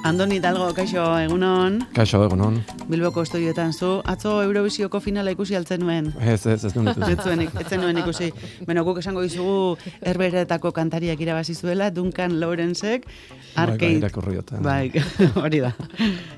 Andoni Hidalgo, kaixo, egunon. Kaixo, egunon. Bilboko estudioetan zu. Atzo Eurovisioko finala ikusi altzen nuen. Ez nuen ikusi. Ez nuen ikusi. Beno, guk esango dizugu Herberetako kantariak irabazi zuela, Duncan Lawrencek, Arcade. Bai, hori da.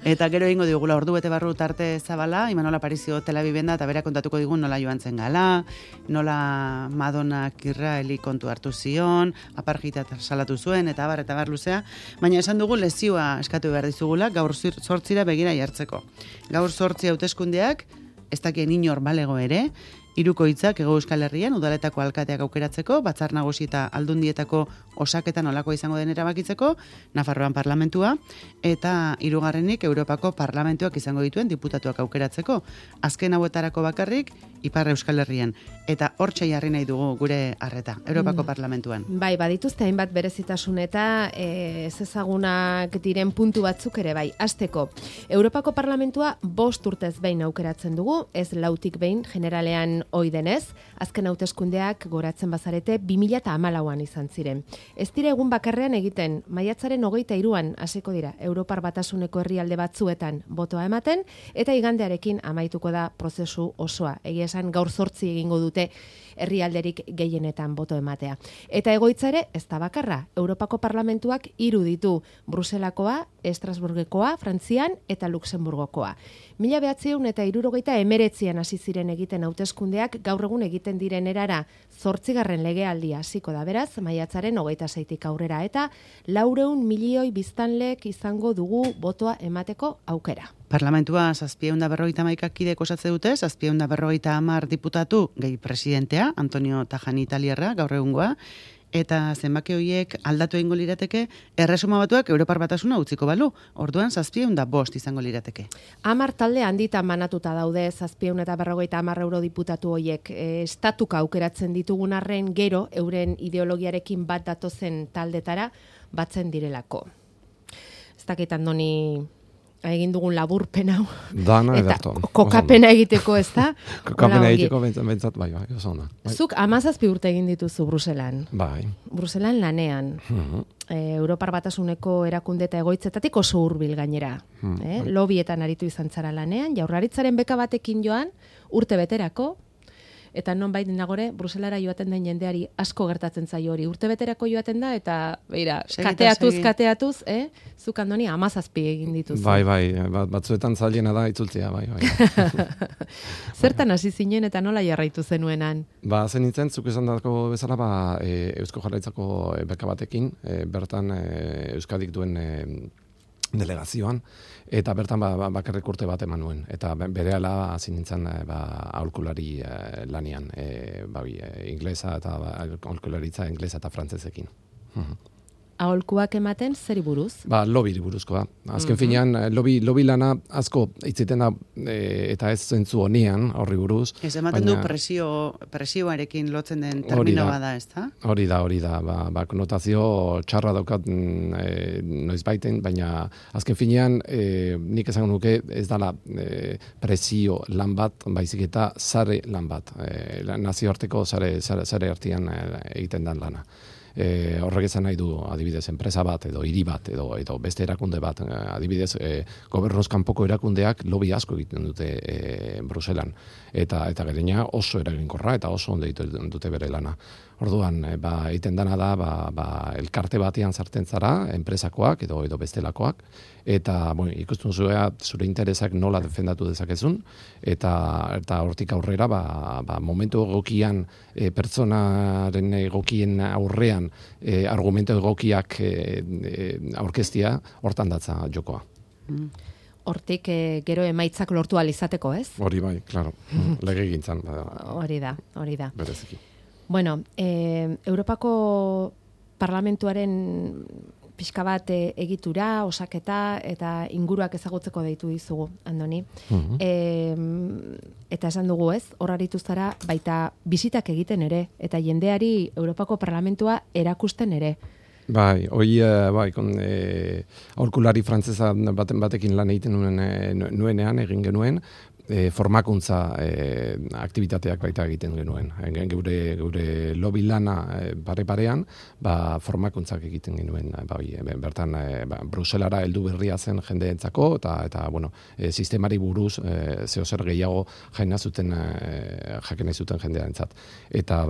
Eta gero egingo digula ordu bete barru tarte zabala, Imanol Aparicio Tel Aviven da, eta bera kontatuko digun nola joan zen gala, nola Madonak Israeli kontu hartu zion, apartheida salatu zuen, eta bar luzea. Baina esan dugu lezioa eskatu behar dizugula, gaur 8 begira jartzeko. Gaur 8 hauteskundeak, ez dakien inor balego ere, hirukoitzak Hego Euskal Herrian udaletako alkateak aukeratzeko, Batzar Nagusi eta Aldundietako osaketan olakoa izango den erabakitzeko, Nafarroan parlamentua, eta hirugarrenik Europako parlamentuak izango dituen diputatuak aukeratzeko. Azken hauetarako bakarrik, Ipar Euskal Herrian. Eta hortxe jarri nahi dugu gure arreta, Europako parlamentuan. Bai, badituzte hainbat berezitasun eta ez ezagunak diren puntu batzuk ere bai. Hasteko, Europako parlamentua 5 urtez behin aukeratzen dugu, ez 4tik behin generalean ohi denez, azken hauteskundeak goratzen bazarete 2014an izan ziren. Ez dira egun bakarrean egiten, maiatzaren 23an hasiko dira Europar Batasuneko herrialde batzuetan botoa ematen, eta igandearekin amaituko da prozesu osoa. Egia esan gaur 8 egingo dute herrialderik gehienetan boto ematea. Eta egoitza ere ez da bakarra. Europako parlamentuak 3 ditu, Bruselakoa, Estrasburgekoa, Frantzian eta Luxemburgokoa. 1979an hasi ziren egiten hauteskundeak, gaur egun egiten diren erara 8. legealdia hasiko da, beraz, maiatzaren 26tik aurrera, eta 400 milioi biztanlek izango dugu botoa emateko aukera. Parlamentua 751 kidek osatze dute, 750 diputatu gehi presidentea, Antonio Tajani Italierra, gaur egungoa, eta zenbaki horiek aldatu egingo lirateke, erresuma batuak Europar Batasuna utziko balu, orduan 705 izango lirateke. 10 talde handitan banatuta daude 750 eurodiputatu horiek, estatuka aukeratzen ditugun arren gero, euren ideologiarekin bat datozen taldetara batzen direlako. Ez dakit Andoni egin dugun laburpen hau. Dana eta edarto. Kokapena egiteko, ez da? Kokapena egiteko bentsat, bai, oso ona. Zuk 17 urte egin dituzu Bruselan. Bai. Bruselan lanean. Europar Batasuneko erakunde eta egoitzetatik oso hurbil gainera. Lobietan aritu izan zara lanean, Jaurlaritzaren beka batekin joan, urte beterako, eta nonbait nagore Bruselara joaten den jendeari asko gertatzen zaio hori. Urte beterako joaten da, eta beira, kateatuz, zuk Andoni 17 egin dituzu. Bai, batzuetan zailena da itzultzea, bai. Zertan hasi zinen eta nola jarraitu zenuenan? Zen nintzen, zuk esan dako bezala, Eusko Jaurlaritzako beka batekin, bertan Euskadik duen delegazioan, eta bertan bakarrik urte bat eman nuen. Eta berehala hasi nintzen aholkulari lanian, inglesa eta aholkularitza inglesa eta frantsesekin. Aholkuak ematen zeri buruz? Lobiri buruzkoa. Azken finean, lobby lana asko hitziten da, eta ez zentzu honean horri buruz. Ez ematen du presioarekin lotzen den termino bada, ez da? Hori da. Konotazio txarra daukat noizbaiten, baina azken finean nik esango nuke ez dala presio lan bat, baizik eta sare lan bat. Nazioarteko sare artean egiten den lana. Horrek esan nahi du adibidez enpresa bat edo hiri bat edo beste erakunde bat, adibidez gobernuz kanpoko erakundeak lobby asko egiten dute Bruselan, eta gainera oso eraginkorra eta oso ondo egiten dute bere lana. Orduan egiten dana da elkarte batean sartzen zara, enpresakoak edo bestelakoak, eta ikusten zure interesak nola defendatu dezakezun, eta hortik aurrera momentu egokian pertsonaren egokien aurrean argumento egokiak aurkeztia, hortan datza jokoa. Hortik gero emaitzak lortu alizateko, ez? Hori bai, klaro. Legegintzan. Hori da. Bereziki. Bueno, Europako Parlamentuaren pixka bat egitura, osaketa eta inguruak ezagutzeko deitu dizugu, Andoni. Eta esan dugu, ez, hor aritu zara baita bisitak egiten ere, eta jendeari Europako Parlamentua erakusten ere. Bai, aholkulari frantsesa batekin lan egiten nuenean egin genuen, formakuntza aktivitateak baita egiten genuen. Geure lobby lana pare-parean, formakuntzak egiten genuen. Bertan, Bruselara heldu berria zen jendeentzako, eta sistemari buruz zehozer gehiago jaina zuten, jaken zuten jendearentzat. Eta,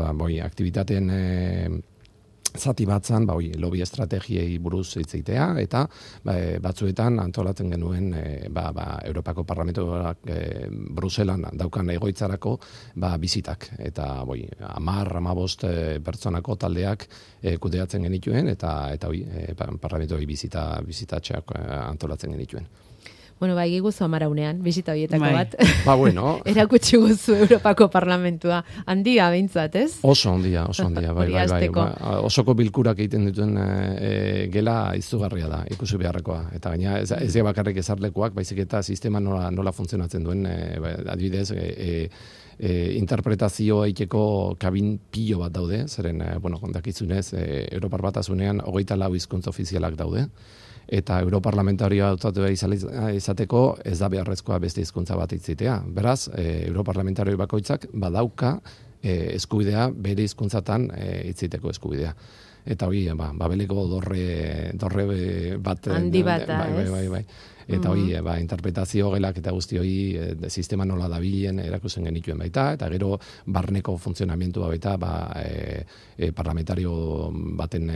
aktivitateen zati batzan, lobby estrategiei buruz hitzitea, eta batzuetan antolatzen genuen Europako Parlamentuak Bruselan daukan egoitzarako bizitak. Eta 10-15 pertsonako taldeak kudeatzen genituen, eta parlamentuei bizitatxeak antolatzen genituen. Bueno, guzu 10 unean, bisita horietako bat. Bueno. Erakutsi guzu Europako Parlamentua. Handia behintzat, ez? Oso handia, bai. Osoko bilkurak egiten dituen gela izugarria da, ikusi beharrekoa. Eta gaina, ez bakarrik ezarlekuak, baizik eta sistema nola funtzionatzen duen, adibidez, interpretazioa egiteko kabin pilo bat daude, zeren, dakizunez, Europar Batasunean 24 hizkuntza ofizialak daude, eta Europarlamentarioa hautatu izateko ez da beharrezkoa beste hizkuntza bat hitzitea. Beraz, Europarlamentarioi bakoitzak badauka eskubidea bere hizkuntzatan hitziteko eskubidea. Eta babeleko dorre bat handi bat da, bai. Eta interpretazio gelak eta guzti sistema nola dabilen erakusten genituen baita, eta gero barneko funtzionamentua baita parlamentario baten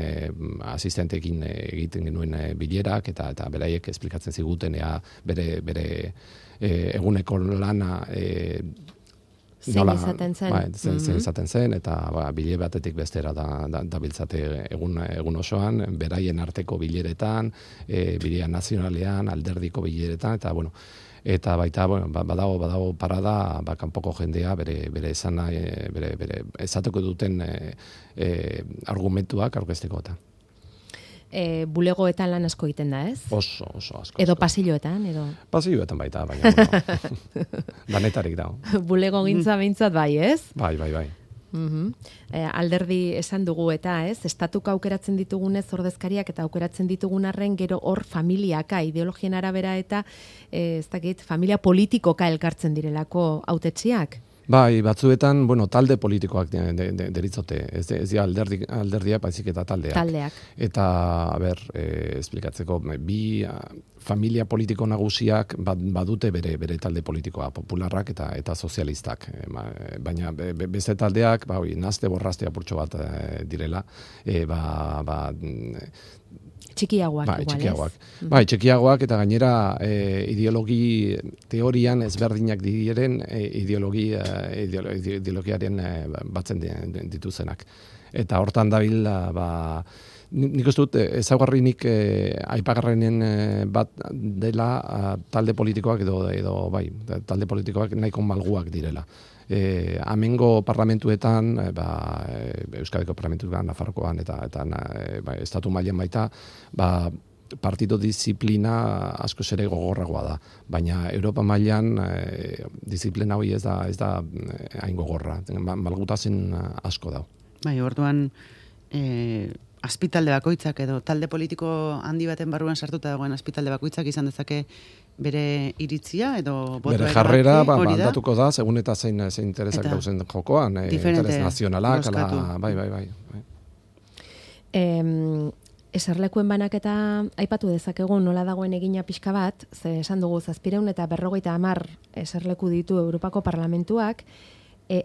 asistentekin egiten genuen bilerak, eta beraiek esplikatzen ziguten bere eguneko lana zein izaten zen. Zein izaten zen, eta bile batetik bestera da biltzate egun osoan, beraien arteko bileretan, bilea nazionalean, alderdiko bileretan, eta baita, badago parada, kanpoko jendea, bere esana, bere esateko duten argumentuak aurkezteko eta. Bulegoetan lan asko egiten da, ez? Oso asko. Edo pasilloetan, edo? Pasilloetan baita, baina, danetarik dago. Bulego gintza behintzat bai, ez? Bai. Alderdi esan dugu eta, ez? Estatuko aukeratzen ditugunez ordezkariak eta aukeratzen ditugun arren gero hor familiaka, ideologien arabera eta, ez dakit, familia politikoka elkartzen direlako hautetsiak? Bai, batzuetan, talde politikoak deritzote, ez dira alderdiak, baizik eta taldeak. Eta, esplikatzeko, bi familia politiko nagusiak badute bere talde politikoa, popularrak eta sozialistak. Baina beste taldeak, nazte borrazte apurtxo bat direla, txikiagoak, igual, ez? Txikiagoak, eta gainera ideologi teorian ezberdinak diren ideologiaren batzen dituzenak. Eta hortan dabil, nik uste dut, ezaugarrinik aipagarrenen bat dela talde politikoak edo talde politikoak nahiko malguak direla. Amengo parlamentuetan, Euskadiko parlamentuetan, Nafarrokoan eta estatu mailan baita, partido disiplina asko ere gogorragoa da. Baina Europa mailan disiplina hori ez da hain gogorra. Malgutasun asko da. Bai, orduan azpitalde bakoitzak edo talde politiko handi baten barruan sartuta dagoen azpitalde bakoitzak izan dezake bere iritzia edo botoa bere jarrera aldatuko da, segun eta zein interesak dauzen jokoan, interes nazionalak, bai. Eserlekuen banaketa aipatu dezakegu nola dagoen egina pixka bat, ze esan dugu 750 eserleku ditu Europako Parlamentuak,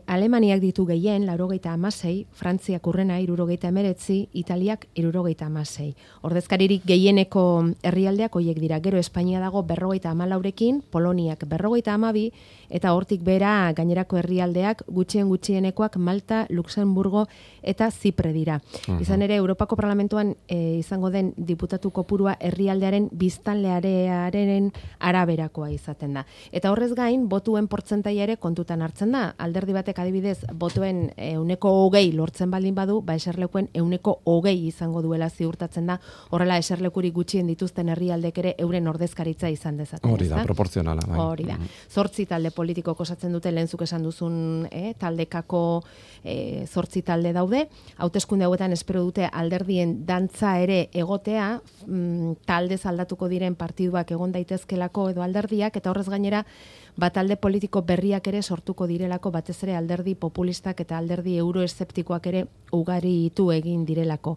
Alemaniak ditu gehien, 96, Frantziak urrena 79, Italiak 76. Ordezkaririk gehieneko herrialdeak hoiek dira. Gero Espainia dago 54rekin, Poloniak 52, eta hortik bera gainerako herrialdeak gutxienekoak Malta, Luxemburgo eta Zipre dira. Izan ere, Europako Parlamentuan izango den diputatu kopurua herrialdearen biztanlearen araberakoa izaten da. Eta horrez gain, botuen portzentaia ere kontutan hartzen da. Alderdi alderdi batek adibidez botoen 20% lortzen baldin badu, eserlekuen 20% izango duela ziurtatzen da, horrela eserlekurik gutxien dituzten herrialdek ere euren ordezkaritza izan dezaten. Hori da, proporzionala. Hori da. 8 talde politiko osatzen dute, lehenzuk esan duzun taldekako 8 talde daude. Hauteskunde hauetan espero dute alderdien dantza ere egotea, taldez aldatuko diren partiduak egon daitezkelako edo alderdiak, eta horrez gainera talde politiko berriak ere sortuko direlako, batez ere alderdi populistak eta alderdi euroeszeptikoak ere ugaritu egin direlako.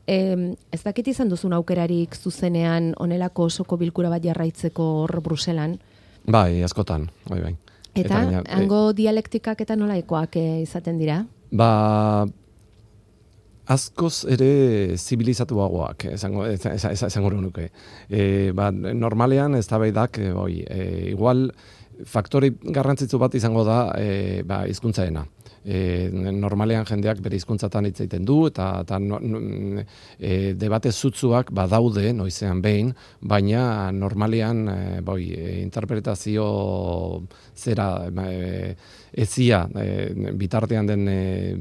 Ez dakit izan duzun aukerarik zuzenean onelako osoko bilkura bat jarraitzeko hor Bruselan? Bai, askotan, bai. Eta hango dialektikak eta nolaikoak izaten dira? Askoz ere zibilizatuagoak, esango nuke. Normalean eztabaidak igual faktore garrantzitsu bat izango da hizkuntzaena. Normalean jendeak bere hizkuntzatan hitz egiten du eta debate zutzuak badaude noizean behin, baina normalean interpretazio zera ezia bitartean den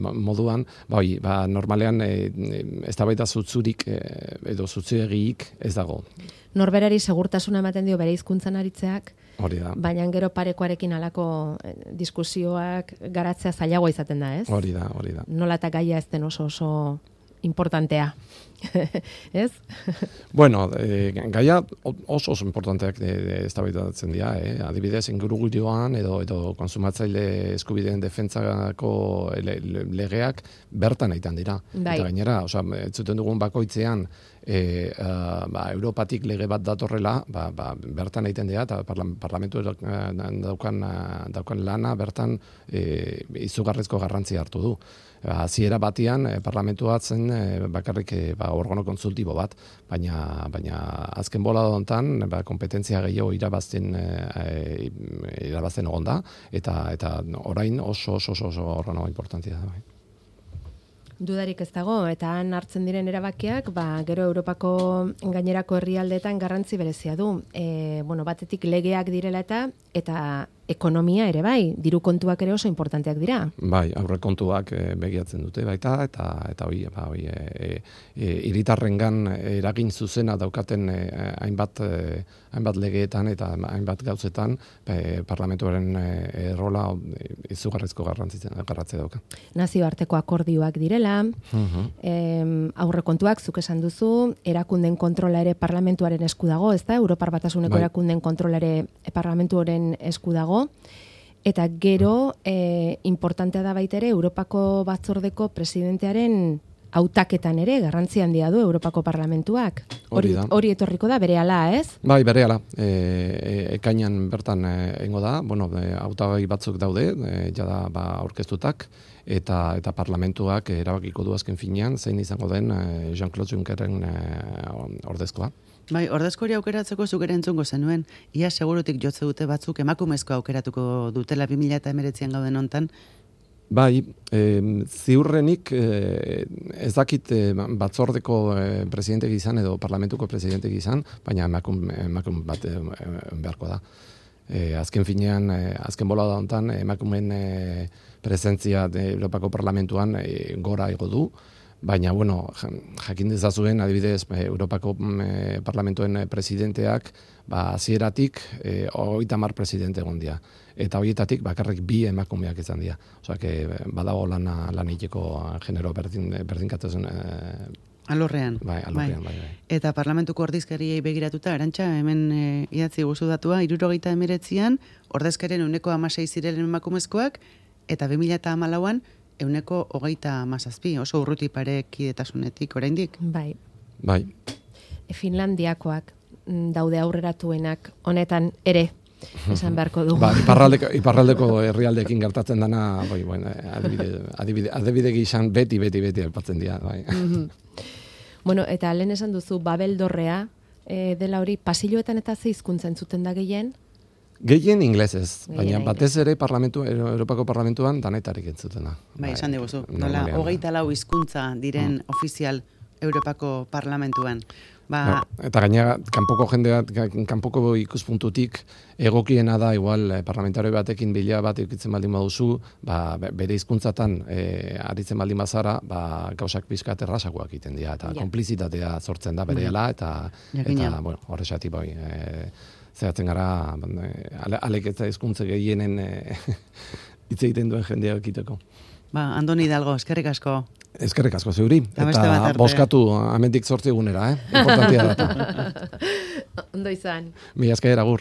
moduan, normalean eztabaida zutzurik edo zutzuegiik ez dago. Norberari segurtasuna ematen dio bere hizkuntzan aritzeak, baina gero parekoarekin alako diskusioak garatzea zailagoa izaten da, ez? Hori da. Nola eta gaia ez den oso importantea, ez? Bueno, gaia oso importanteak eztabaidatzen dira, adibidez ingurugiroan edo konsumatzaile eskubideen defentsako legeak bertan egiten dira. Eta gainera, zuten dugun bakoitzean Europatik lege bat datorrela, bertan egiten dira, eta parlamentu daukan lana bertan izugarrizko garrantzia hartu du. Hasiera batian parlamentua zen bakarrik organo kontsultibo bat, baina azken bola hontan kompetentzia gehiago irabazten egon da, eta orain oso organo importantea da. Dudarik ez dago, eta han hartzen diren erabakiak, gero Europako gainerako herrialdeetan garrantzi berezia du. Batetik legeak direla eta ekonomia ere bai, diru kontuak ere oso importanteak dira. Bai, aurrekontuak begiatzen dute baita, eta hiritarrengan eragin zuzena daukaten hainbat legeetan eta hainbat gauzetan parlamentuaren rola izugarrizko garrantzia dauka. Nazioarteko akordioak direla, aurrekontuak zuk esan duzu, erakunden kontrola ere parlamentuaren esku dago, ez da? Europar Batasuneko erakunden kontrola ere parlamentuaren esku dago. Eta gero, importantea da baita ere, Europako batzordeko presidentearen hautaketan ere, garrantzi handia du Europako parlamentuak. Hori etorriko da, berehala, ez? Bai, berehala. Ekainan bertan egingo da, hautagai batzuk daude, jada aurkeztutak, eta parlamentuak erabakiko du azken finean, zein izango den Jean-Claude Junckerren ordezkoa. Bai, ordezkori aukeratzeko zuk ere entzungo zenuen, ia segurutik jotze dute batzuk emakumezko aukeratuko dutela 2019an gauden hontan. Bai, ziurrenik ez dakit batzordeko presidentek izan edo parlamentuko presidentek izan, baina emakume bat beharko da. Azken finean, azken bola da hontan, emakumeen presentzia Europako parlamentuan gora igo du, baina, jakin dezazuen, adibidez, Europako parlamentuen presidenteak, hasieratik 30 presidente egon dira. Eta horietatik bakarrik 2 emakumeak izan dira. Badago lan egiteko genero berdintasun alorrean. Bai. Eta parlamentuko ordezkariei begiratuta, Arantxa, hemen idatzi guzu datua, 79an ordezkarien 16% ziren emakumezkoak, eta 2014an 27%, oso urruti pare kidetasunetik oraindik. Bai. Finlandiakoak daude aurreratuenak honetan ere, esan beharko du. Iparraldeko herrialdeekin gertatzen dana, adibide gizan beti aipatzen dira. Eta lehen esan duzu, Babeldorrea dela hori, pasilloetan eta ze hizkuntza entzuten da gehien? Gehien inglesez, baina batez ere Europako parlamentuan danetarik entzutena. Bai, esan diguzu, nola 24 hizkuntza diren ofizial Europako parlamentuan. Eta gainera, kanpoko ikuspuntutik, egokiena da, igual, parlamentario batekin bila bat eukitzen baldin baduzu, bere hizkuntzatan aritzen baldin bazara, gauzak pizkat errazagoak egiten dira, eta konplizitatea sortzen da berehala, eta bueno, horrexatik bai, zehatzen gara, alek eta hizkuntza gehienen hitz egiten duen jendea ekiteko. Andoni Hidalgo, eskerrik asko. Eskerrik asko zeuri, eta boskatu amendik 8 egunera, importantia data. Ondo izan. Mila esker, agur.